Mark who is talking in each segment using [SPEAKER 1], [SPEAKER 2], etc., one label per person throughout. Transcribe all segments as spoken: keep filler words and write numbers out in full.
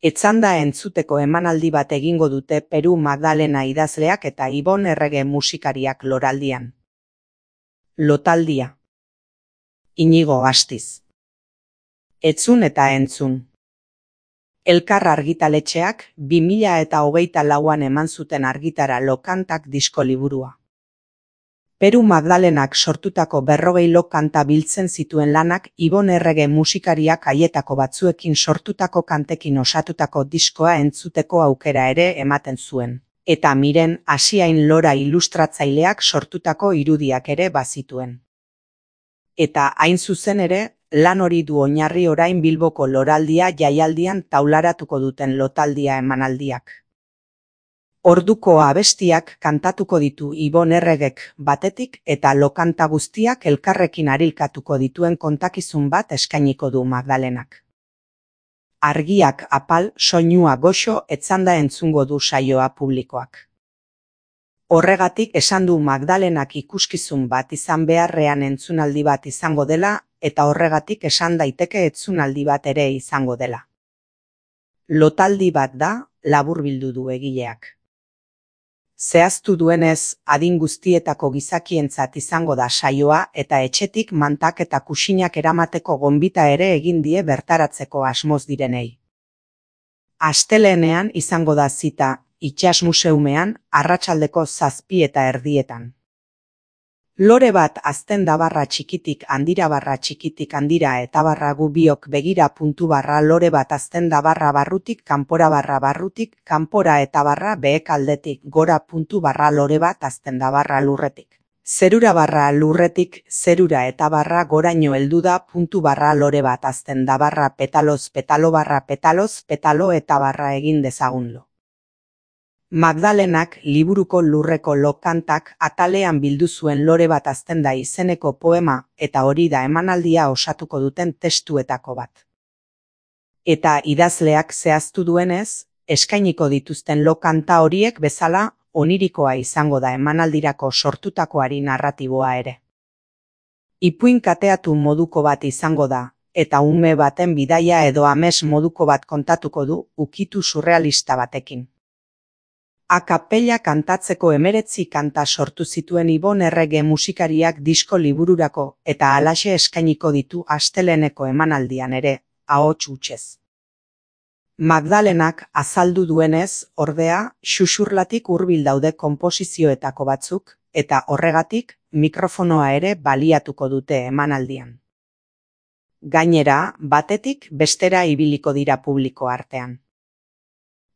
[SPEAKER 1] Etzanda entzuteko emanaldi bat egingo dute Peru Magdalena idazleak eta Ibon Errege musikariak loraldian. Lotaldia. Inigo Astiz. Etzun eta entzun. Elkar argitaletxeak bi mila eta hogeita lauan eman zuten argitara Lokantak disko liburua. Peru Magdalenak sortutako berrogei lokanta biltzen zituen lanak Ibon Errege musikariak haietako batzuekin sortutako kantekin osatutako diskoa entzuteko aukera ere ematen zuen. Eta Miren Asiain Lora ilustratzaileak sortutako irudiak ere bazituen. Eta hain zuzen ere, lan hori du oinarri orain Bilboko Loraldia jaialdian taularatuko duten lotaldia emanaldiak. Orduko abestiak kantatuko ditu Ibon Erregek batetik eta lokanta guztiak elkarrekin arilkatuko dituen kontakizun bat eskainiko du Magdalenak. Argiak apal, soinua goxo etzanda entzungo du saioa publikoak. Horregatik esan du Magdalenak ikuskizun bat izan beharrean entzunaldi bat izango dela eta horregatik esan daiteke etzunaldi bat ere izango dela. Lotaldi bat da, laburbildu du egileak. Zehaztu duenez, adin guztietako gizakientzat izango da saioa eta etxetik mantak eta kuxinak eramateko gonbita ere egin die bertaratzeko asmoz direnei. Astelehenean izango da zita, Itsas Museumean, arratsaldeko zazpi eta erdietan. Lore bat azten da barra txikitik handira barra txikitik handira eta barra gu biok begira puntu barra lore bat azten da barra barrutik kanpora barra barrutik kanpora eta barra behek aldetik gora puntu barra lore bat azten da barra lurretik. Zerura barra lurretik zerura eta barra goraino heldu da puntu barra lore bat azten da barra petaloz petalo barra petaloz petalo eta barra egin dezagunlo. Magdalenak liburuko lurreko lokantak atalean bildu zuen lore bat azten da izeneko poema eta hori da emanaldia osatuko duten testuetako bat. Eta idazleak zehaztu duenez, eskainiko dituzten lokanta horiek bezala onirikoa izango da emanaldirako sortutakoari narratiboa ere. Ipuin kateatu moduko bat izango da, eta ume baten bidaia edo ames moduko bat kontatuko du ukitu surrealista batekin. Akapella kantatzeko hemeretzi kanta sortu zituen Ibon Errege musikariak disko libururako eta halaxe eskainiko ditu asteleheneko emanaldian ere, ahots hutsez. Magdalenak azaldu duenez, ordea, xuxurlatik hurbil daude konposizioetako batzuk, eta horregatik mikrofonoa ere baliatuko dute emanaldian. Gainera, batetik bestera ibiliko dira publiko artean.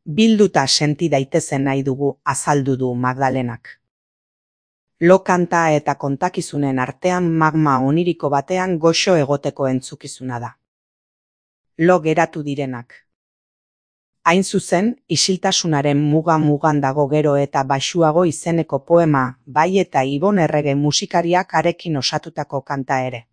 [SPEAKER 1] Bilduta senti daitezen nahi dugu azaldu du Magdalenak. Lokanta eta kontakizunen artean magma oniriko batean goxo egoteko entzukizuna da. Lo geratu direnak. Hain zuzen, isiltasunaren muga-mugan dago gero eta baxuago izeneko poema, bai eta Ibon Errege musikariak arekin osatutako kanta ere.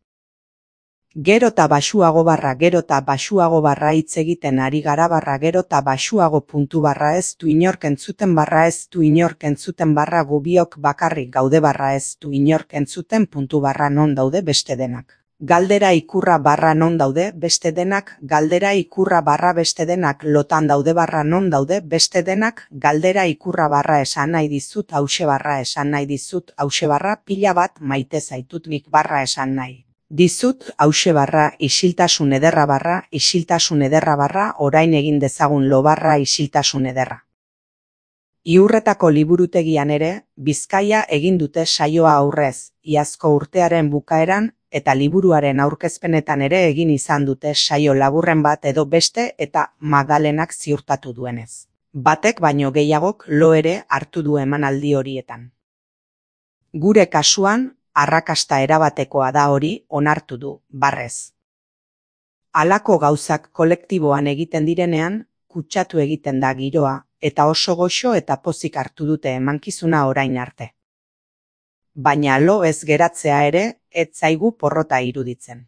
[SPEAKER 1] Gero eta baxuago barra gero eta baxuago barra hitz egiten ari gara barra gero eta baxuago puntu barra ez du inork entzuten barra ez du inork entzuten barra gubiok bakarrik gaude barra ez du inork entzuten puntu barra non daude beste denak. Galdera ikurra barra non daude beste denak, galdera ikurra barra beste denak lotan daude barra non daude beste denak, galdera ikurra barra esan nahi dizut hause barra esan nahi dizut hause barra pila bat maite zaitut nik barra esan nahi. Dizut hause barra isiltasun ederra barra isiltasun ederra barra orain egin dezagun lo barra isiltasun ederra. Iurretako liburutegian ere, Bizkaia egin dute saioa aurrez, iazko urtearen bukaeran, eta liburuaren aurkezpenetan ere egin izan dute saio laburren bat edo beste eta Magdalenak ziurtatu duenez. Batek baino gehiagok lo ere hartu du emanaldi horietan. Gure kasuan, arrakasta erabatekoa da hori onartu du, barrez. Halako gauzak kolektiboan egiten direnean, kutsatu egiten da giroa, eta oso goxo eta pozik hartu dute emankizuna orain arte. Baina lo ez geratzea ere, ez zaigu porrota iruditzen.